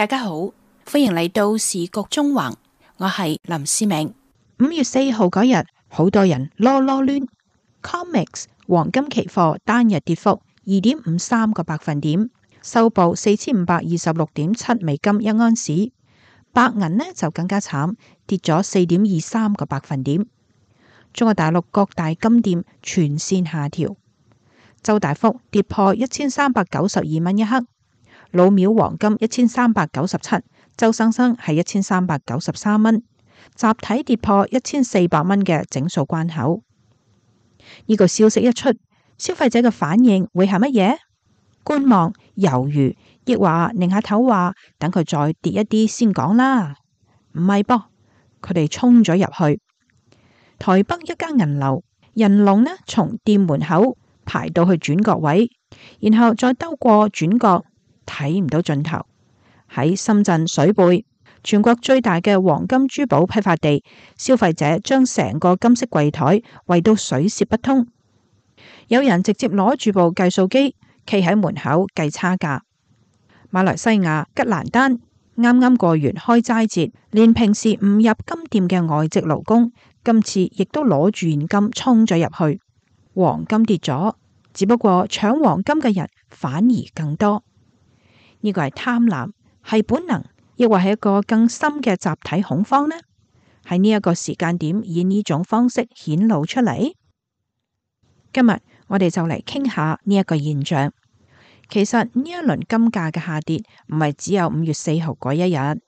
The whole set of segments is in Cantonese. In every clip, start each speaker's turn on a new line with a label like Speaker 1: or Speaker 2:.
Speaker 1: 大家好，歡迎嚟到時局中橫，我係林思明。
Speaker 2: 5月4號嗰日，好多人囉囉攣。COMEX 黃金期貨單日跌幅2.53個百分點，收報4526.7美金一盎司。白銀呢就更加慘，跌咗4.23個百分點。中國大陸各大金店全線下調，周大福跌破1392蚊一克，老廟黃金1397，周生生係1393蚊，集體跌破1400蚊嘅整數關口。呢個消息一出，消費者嘅反應會係乜嘢？觀望、猶豫，亦話擰下頭話等佢再跌一啲先講啦。唔係噃，佢哋衝咗入去。台北一間銀樓，人龍呢從店門口排到去轉角位，然後再兜過轉角，睇唔到盡頭。喺深圳水貝，全國最大嘅黃金珠寶批發地，消費者將成個金色櫃台圍到水泄不通。有人直接攞住部計數機，企喺門口計差價。馬來西亞吉蘭丹啱啱過完開齋節，連平時唔入金店嘅外籍勞工，今次亦都攞住現金衝咗入去。黃金跌咗，只不過搶黃金嘅人反而更多。呢個係貪婪，係本能，亦或係一個更深嘅集體恐慌呢？喺呢一個時間點以呢種方式顯露出嚟。今日我哋就嚟傾下呢一個現象。其實呢一輪金價嘅下跌唔係只有5月4號嗰一日，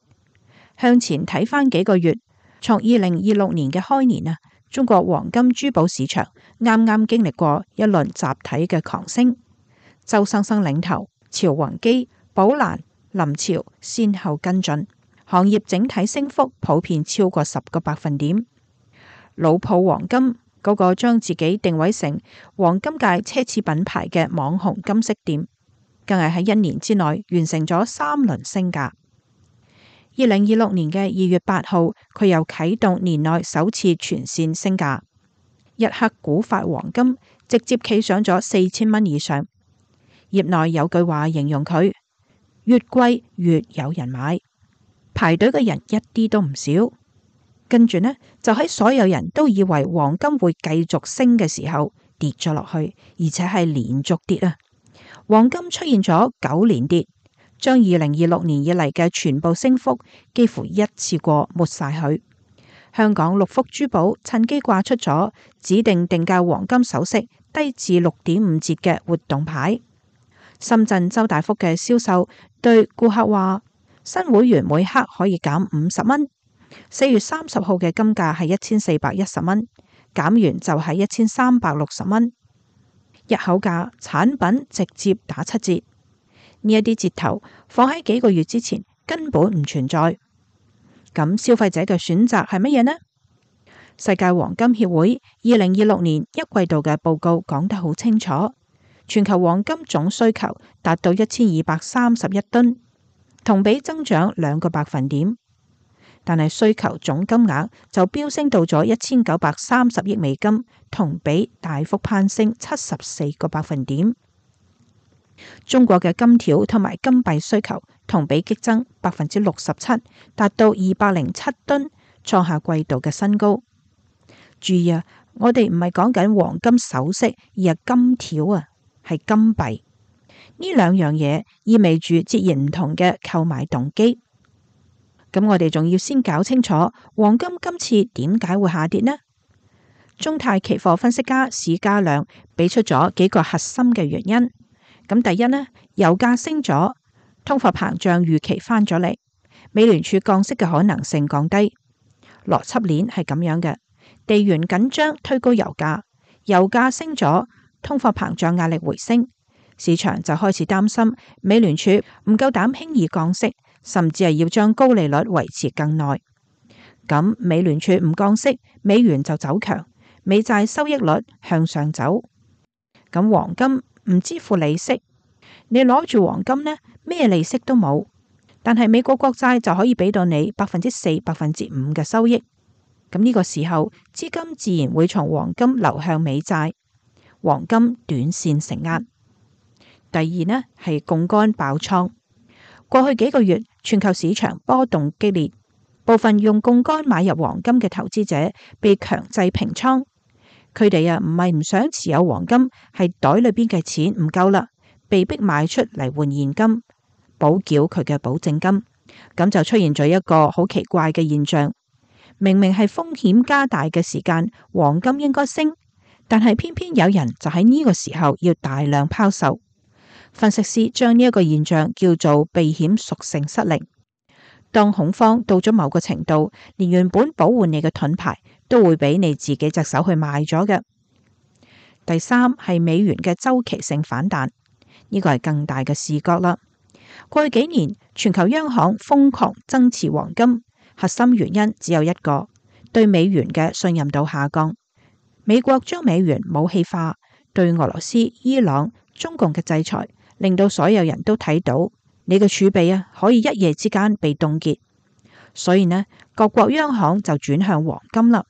Speaker 2: 向前睇返幾個月，從2026年嘅開年啊，中國黃金珠寶市場啱啱經歷過一輪集體嘅狂升，周生生領頭，趙宏基、寶蘭、林朝先後跟進，行業整體升幅普遍超過10個百分點。老鋪黃金嗰個將自己定位成黃金界奢侈品牌嘅網紅金飾店，更係喺1年之內完成咗3輪升價。2026年嘅2月8號，佢又啟動年內首次全線升價，一克古法黃金直接企上咗4000蚊以上。業內有句話形容佢：越貴越有人買，排隊嘅人一啲都唔少。跟住呢，就喺所有人都以為黃金會繼續升嘅時候，跌咗落去，而且係連續跌啊！黃金出現咗9連跌，將2026年以嚟嘅全部升幅幾乎一次過抹晒去。香港六福珠寶趁機掛出咗指定定價黃金首飾低至6.5折嘅活動牌。深圳周大福嘅銷售對顧客話，新會員每克可以減50蚊。4月30號嘅金價係1410蚊，減完就係1360蚊。一口價產品直接打7折，呢一啲折頭放喺幾個月之前根本唔存在。咁消費者嘅選擇係乜嘢呢？世界黃金協會2026年一季度嘅報告講得好清楚，全球黃金總需求達到1231噸，同比增長2個百分點。但係需求總金額就飆升到咗1930億美金，同比大幅攀升74個百分點。中國嘅金條同埋金幣需求同比激增67%，達到207噸，創下季度嘅新高。注意啊，我哋唔係講緊黃金首飾，而係金條啊，係金幣。呢兩樣嘢意味住截然唔同嘅購買動機。咁我哋仲要先搞清楚黃金今次點解會下跌呢？中泰期貨分析家史家亮俾出咗幾個核心嘅原因。咁第一呢，油價升咗，通貨膨脹預期翻咗嚟，美聯儲降息嘅可能性降低。邏輯鏈係咁樣嘅，地緣緊張推高油價，油價升咗，通貨膨脹壓力回升，市場就開始擔心美聯儲唔夠膽輕易降息，甚至係要將高利率維持更耐。咁美聯儲唔降息，美元就走強，美債收益率向上走。咁黃金唔支付利息，你攞住黃金呢，咩利息都冇，但係美國國債就可以俾到你4%、5%嘅收益。咁呢個時候，資金自然會從黃金流向美債，黃金短線承壓。第二呢係槓桿爆倉。過去幾個月，全球市場波動激烈，部分用槓桿買入黃金嘅投資者被強制平倉。佢哋唔係唔想持有黃金，係袋裏邊嘅錢唔夠啦，被逼賣出嚟換現金，補繳佢嘅保證金。咁就出現咗一個好奇怪嘅現象，明明係風險加大嘅時間，黃金應該升，但係偏偏有人就喺呢個時候要大量拋售。分析師將呢一個現象叫做避險屬性失靈。當恐慌到咗某個程度，連原本保護你嘅盾牌都會俾你自己隻手去賣咗嘅。第三係美元嘅周期性反彈，呢個係更大嘅視角啦。過去幾年，全球央行瘋狂增持黃金，核心原因只有一個，對美元嘅信任度下降。美國將美元武器化，對俄羅斯、伊朗、中共嘅制裁，令到所有人都睇到你嘅儲備可以一夜之間被凍結。所以呢，各國央行就轉向黃金啦。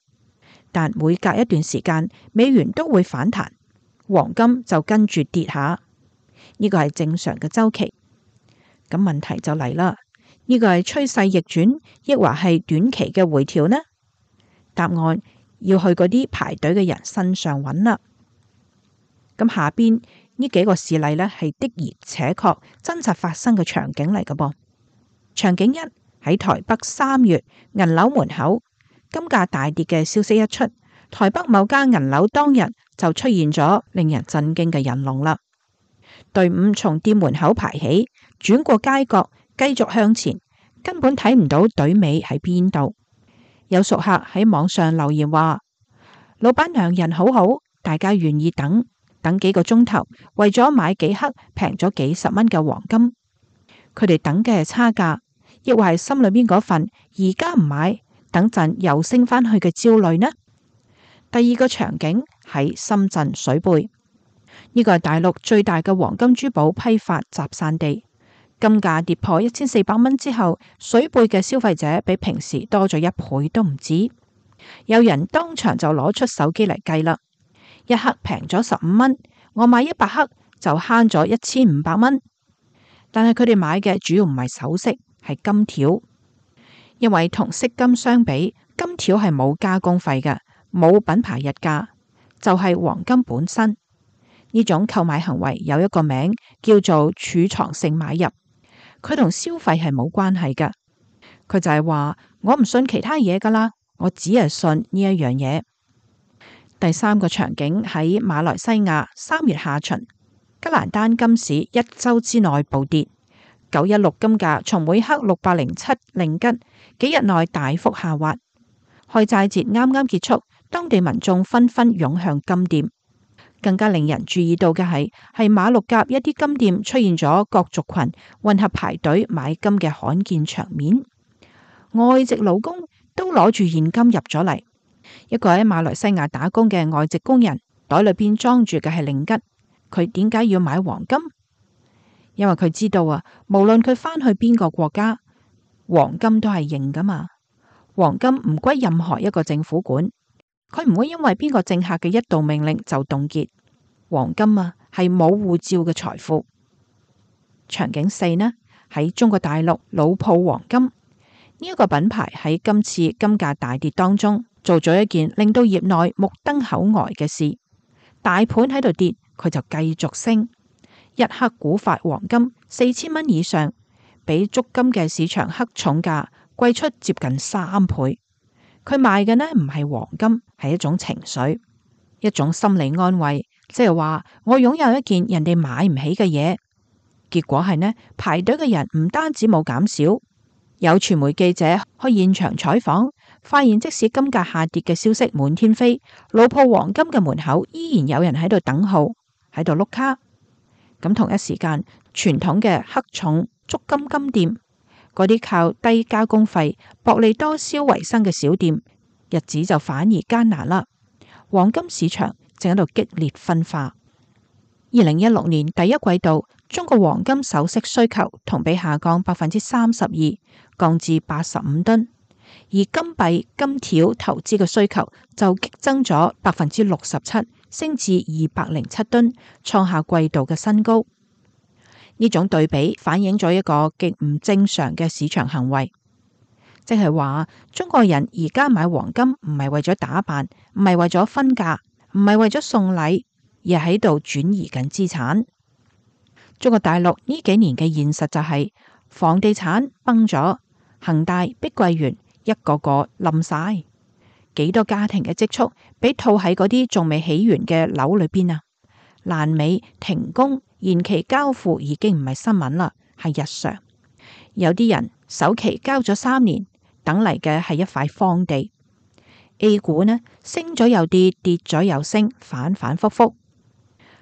Speaker 2: 但每隔一段時間，美元都會反彈，黃金就跟住跌下。呢個係正常嘅周期。咁問題就嚟啦，呢個係趨勢逆轉，抑或係短期嘅回調呢？答案要去嗰啲排隊嘅人身上揾啦。咁下邊呢幾個事例呢，係的而且確真實發生嘅場景嚟嘅噃。場景一，喺台北3月銀樓門口，金價大跌嘅消息一出，台北某間銀樓當日就出現咗令人震驚嘅人龍啦。隊伍從店門口排起，轉過街角，繼續向前，根本睇唔到隊尾喺邊度。有熟客喺網上留言話：老闆娘人好好，大家願意等幾個鐘頭，為咗買幾克平咗幾十蚊嘅黃金。佢哋等嘅係差價，亦或係心裏邊嗰份而家唔買，等陣又升返去嘅焦慮呢？第二個場景喺深圳水貝，呢個係大陸最大嘅黃金珠寶批發集散地。金價跌破1400蚊之後，水貝嘅消費者比平時多咗1倍都唔止。有人當場就攞出手機嚟計啦，一克平咗15蚊，我買100克就慳咗1500蚊。但係佢哋買嘅主要唔係首飾，係金條，因為同飾金相比，金條係冇加工費嘅，冇品牌日價，就係黃金本身。呢種購買行為有一個名叫做儲藏性買入，佢同消費係冇關係㗎。佢就係話我唔信其他嘢㗎啦，我只係信呢一樣嘢。第三個場景喺馬來西亞3月下旬，吉蘭丹金市一周之內暴跌，916金價從每克607令吉，幾日內大幅下滑。開齋節啱啱結束，當地民眾紛紛湧向金店。更加令人注意到嘅係馬六甲一啲金店出現咗各族群混合排隊買金嘅罕見場面，外籍勞工都攞住現金入咗嚟。一個喺馬來西亞打工嘅外籍工人袋裏邊裝住嘅係令吉，佢點解要買黃金？因為佢知道無論佢返去邊個國家，黃金都係認噶嘛。黃金唔歸任何一個政府管。佢唔會因為邊個政客嘅一道命令就凍結。黃金係冇護照嘅財富。場景4呢，喺中國大陸老鋪黃金，呢一個品牌喺今次金價大跌當中做咗一件令到業內目瞪口呆嘅事。大盤喺度跌，佢就繼續升。1克古法黃金4000蚊以上，比足金嘅市場克重價貴出接近3倍。佢賣嘅呢唔係黃金，係一種情緒，一種心理安慰，即係話我擁有一件人哋買唔起嘅嘢。結果係呢，排隊嘅人唔單止冇減少，有傳媒記者去現場採訪，發現即使金價下跌嘅消息滿天飛，老鋪黃金嘅門口依然有人喺度等號，喺度碌卡。咁同一時間，傳統嘅克重足金金店，嗰啲靠低加工費薄利多銷為生嘅小店，日子就反而艱難啦。黃金市場正喺度激烈分化。2016年第一季度，中國黃金首飾需求同比下降32%，降至85噸，而金幣金條投資嘅需求就激增咗67%，升至207噸，創下季度嘅新高。呢種對比反映咗一個極唔正常嘅市場行為，即係話中國人而家買黃金唔係為咗打扮，唔係為咗分價，唔係為咗送禮，而係喺度轉移緊資產。中國大陸呢幾年嘅現實就係房地產崩咗，恒大、碧桂園一個個冧晒，幾多家庭嘅積蓄俾套喺嗰啲仲未起完嘅樓裏邊啊！爛尾、停工、延期交付已經唔係新聞啦，係日常。有啲人首期交咗3年，等嚟嘅係一塊荒地。A 股呢，升咗又跌，跌咗又升，反反复复。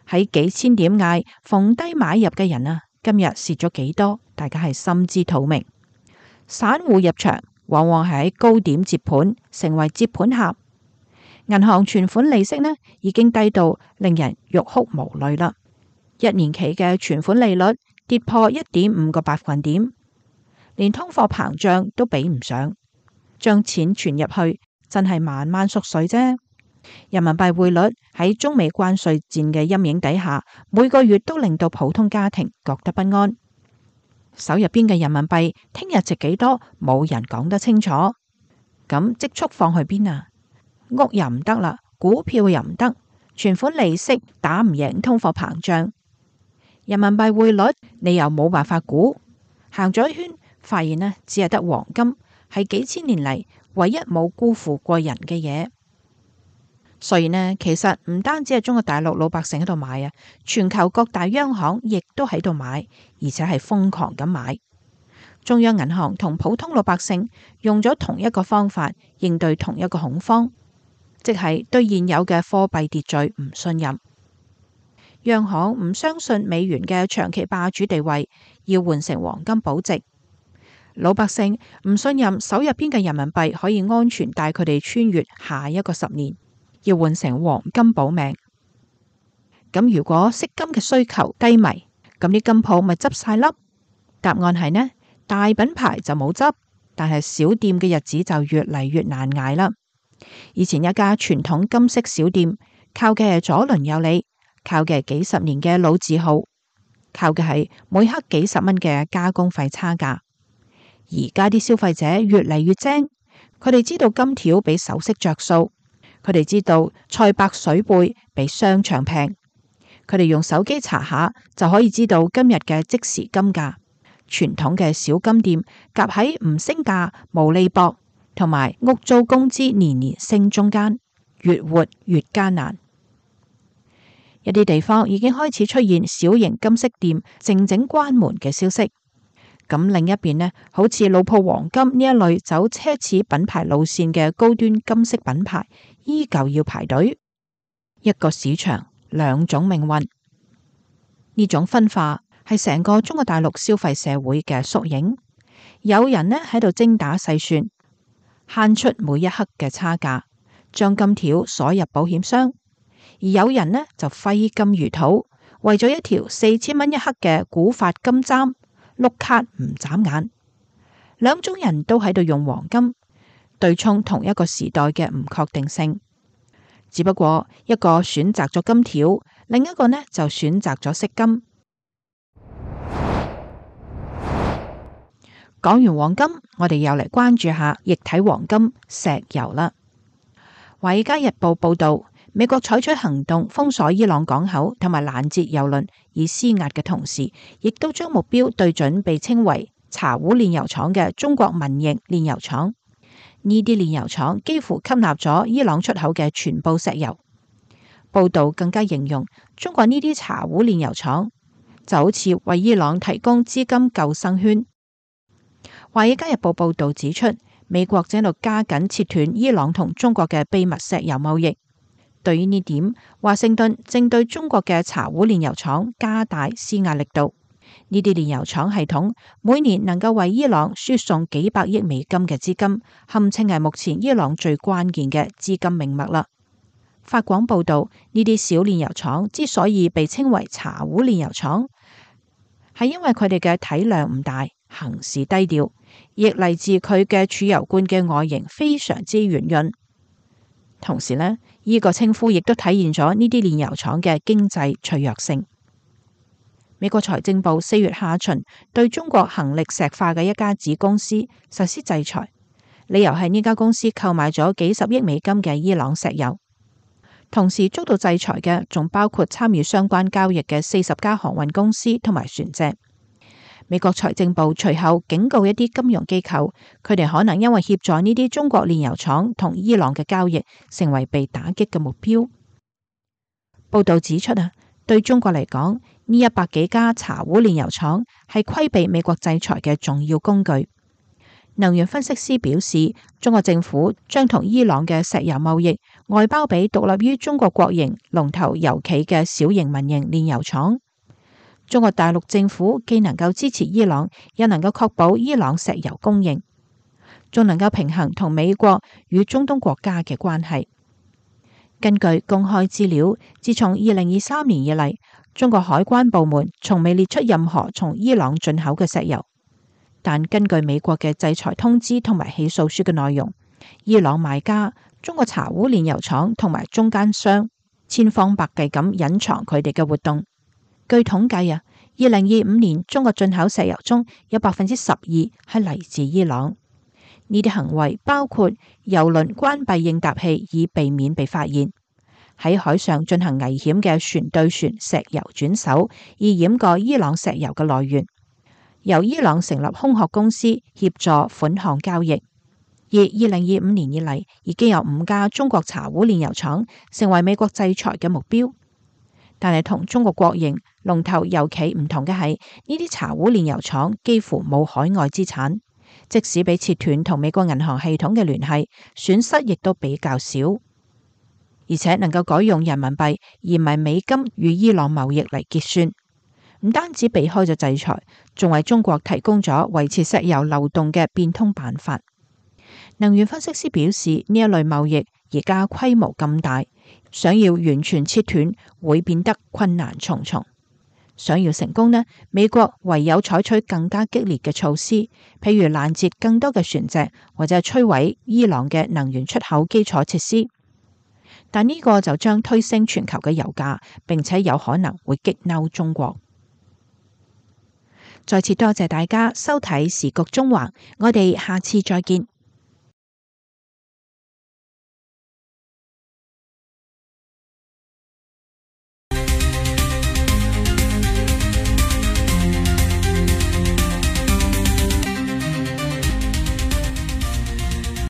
Speaker 2: 喺幾千點嗌逢低買入嘅人啊，今日蝕咗幾多？大家係心知肚明。散戶入場往往係喺高點接盤，成為接盤客。銀行存款利息呢，已經低到令人欲哭無淚啦。1年期嘅存款利率跌破1.5個百分點，連通貨膨脹都比唔上。將錢存入去真係慢慢縮水啫。人民幣匯率喺中美關稅戰嘅陰影底下，每個月都令到普通家庭覺得不安。手入邊嘅人民幣聽日值幾多，冇人講得清楚。咁積蓄放去邊啊？屋又唔得啦，股票又唔得，存款利息打唔贏通貨膨脹，人民幣匯率你又冇辦法估。行咗一圈，發現呢只係得黃金係幾千年嚟唯一冇辜負過人嘅嘢。所以呢，其實唔單止係中國大陸老百姓喺度買啊，全球各大央行亦都喺度買，而且係瘋狂咁買。中央銀行同普通老百姓用咗同一個方法應對同一個恐慌，即係對現有嘅貨幣秩序唔信任。央行唔相信美元嘅長期霸主地位，要換成黃金保值。老百姓唔信任手入邊嘅人民幣可以安全帶佢哋穿越下一個10年，要換成黃金保命。咁如果飾金嘅需求低迷，咁啲金鋪咪執晒笠？答案係呢，大品牌就冇執，但係小店嘅日子就越嚟越難捱啦。以前一家傳統金飾小店，靠嘅係左鄰右里，靠嘅係幾十年嘅老字號，靠嘅係每克幾十蚊嘅加工費差價。而家啲消費者越嚟越精，佢哋知道金條比首飾着數，佢哋知道菜百水貝比商場平，佢哋用手機查下就可以知道今日嘅即時金價。傳統嘅小金店夾喺唔升價、無利薄同埋屋租工資年年升中間，越活越艱難。一啲地方已經開始出現小型金飾店靜靜關門嘅消息。咁另一邊呢，好似老鋪黃金呢一類走奢侈品牌路線嘅高端金飾品牌，依舊要排隊。一個市場，兩種命運。呢種分化係成個中國大陸消費社會嘅縮影。有人呢喺度精打細算，慳出每一克嘅差價，將金條鎖入保險箱；而有人呢就揮金如土，為咗一條4000蚊一克嘅古法金簪，碌卡唔眨眼。兩種人都喺度用黃金對沖同一個時代嘅唔確定性，只不過一個選擇咗金條，另一個呢就選擇咗飾金。講完黃金，我哋又嚟關注下液體黃金石油啦。華爾街日報報道，美國採取行動封鎖伊朗港口同埋攔截油輪，以施壓嘅同時，亦都將目標對準被稱為查胡煉油廠嘅中國民營煉油廠。呢啲煉油廠幾乎吸納咗伊朗出口嘅全部石油。報道更加形容中國呢啲查胡煉油廠就好似為伊朗提供資金救生圈。華爾街日報報道指出，美國正喺度加緊切斷伊朗同中國嘅秘密石油貿易。對於呢點，華盛頓正對中國嘅查胡煉油廠加大施壓力度。呢啲煉油廠系統每年能夠為伊朗輸送幾百億美金嘅資金，堪稱係目前伊朗最關鍵嘅資金命脈啦。法廣報道，呢啲小煉油廠之所以被稱為查胡煉油廠，係因為佢哋嘅體量唔大，行事低調，亦嚟自佢嘅儲油罐嘅外形非常之圓潤。同時呢，呢個稱呼亦都體現咗呢啲煉油廠嘅經濟脆弱性。美國財政部4月下旬對中國恒力石化嘅一家子公司實施制裁，理由係呢家公司購買咗幾十億美金嘅伊朗石油。同時遭到制裁嘅仲包括參與相關交易嘅40家航運公司同埋船隻。美國財政部隨後警告一啲金融機構，佢哋可能因為協助呢啲中國煉油廠同伊朗嘅交易，成為被打擊嘅目標。報道指出對中國嚟講，呢100幾家查臥煉油廠係規避美國制裁嘅重要工具。能源分析師表示，中國政府將同伊朗嘅石油貿易外包俾獨立於中國國營龍頭油企嘅小型民營煉油廠。中國大陸政府既能夠支持伊朗，又能夠確保伊朗石油供應，仲能夠平衡同美國與中東國家嘅關係。根據公開資料，自從2023年以嚟，中國海關部門從未列出任何從伊朗進口嘅石油。但根據美國嘅制裁通知同埋起訴書嘅內容，伊朗買家、中國查臥煉油廠同埋中間商千方百計咁隱藏佢哋嘅活動。據統計2025年中國進口石油中有12%係嚟自伊朗。呢啲行為包括油輪關閉應答器以避免被發現，喺海上進行危險嘅船對船石油轉手，以掩蓋伊朗石油嘅來源，由伊朗成立空殼公司協助款項交易。而2025年以嚟，已經有5家中國查臥煉油廠成為美國制裁嘅目標。但係同中國國營龍頭油企唔同嘅係，呢啲查臥煉油廠幾乎冇海外資產，即使被切斷同美國銀行系統嘅聯繫，損失亦都比較少，而且能夠改用人民幣而唔係美金與伊朗貿易嚟結算。唔單止避開咗制裁，仲為中國提供咗維持石油流動嘅變通辦法。能源分析師表示，呢一類貿易而家規模咁大，想要完全切斷會變得困難重重。想要成功呢，美國唯有採取更加激烈嘅措施，譬如攔截更多嘅船隻，或者係摧毀伊朗嘅能源出口基礎設施。但呢個就將推升全球嘅油價，並且有可能會激嬲中國。再次多謝大家收睇時局中橫，我哋下次再見。